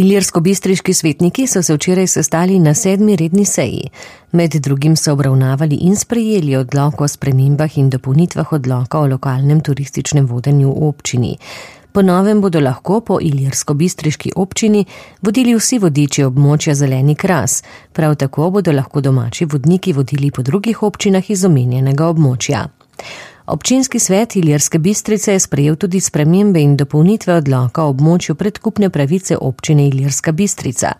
Ilirskobistriški svetniki so se včeraj sestali na 7. redni seji. Med drugim so obravnavali in sprejeli odlok o spremembah in dopolnitvah odloka o lokalnem turističnem vodenju v občini. Po novem bodo lahko po ilirskobistriški občini vodili vsi vodiči območja Zeleni Kras, prav tako bodo lahko domači vodniki vodili po drugih občinah iz omenjenega območja. Občinski svet Ilirske Bistrice je sprejel tudi spremembe in dopolnitve odloka o območju predkupne pravice občine Ilirska Bistrica,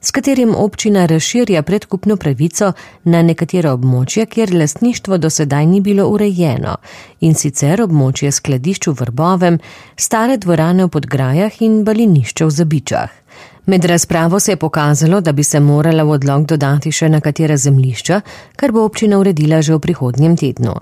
s katerim občina razširja predkupno pravico na nekatera območja, kjer lastništvo do sedaj ni bilo urejeno, in sicer območje skladišč v Vrbovem, stare dvorane v Podgrajah in balinišče v Zabičah. Med razpravo se je pokazalo, da bi se morala v odlok dodati še nekatera zemljišča, kar bo občina uredila že v prihodnjem tednu.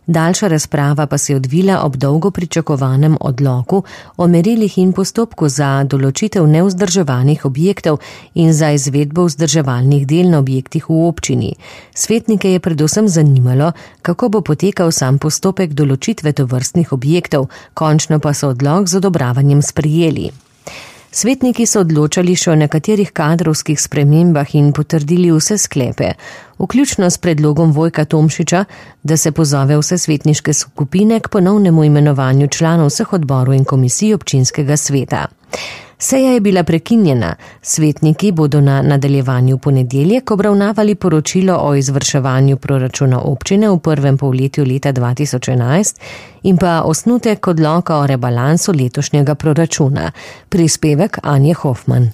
Daljša razprava pa se je odvila ob dolgo pričakovanem odloku o merilih in postopku za določitev nevzdrževanih objektov in za izvedbo vzdrževalnih del na objektih v občini. Svetnike je predvsem zanimalo, kako bo potekal sam postopek določitve tovrstnih objektov, končno pa so odlok z odobravanjem sprejeli. Svetniki so odločali še o nekaterih kadrovskih spremembah in potrdili vse sklepe, vključno s predlogom Vojka Tomšiča, da se pozove vse svetniške skupine k ponovnemu imenovanju članov vseh odborov in komisij občinskega sveta. Seja je bila prekinjena, svetniki bodo na nadaljevanju ponedeljek obravnavali poročilo o izvrševanju proračuna občine v prvem polletju leta 2011 in pa osnutek odloka o rebalansu letošnjega proračuna. Prispevek Anje Hofman.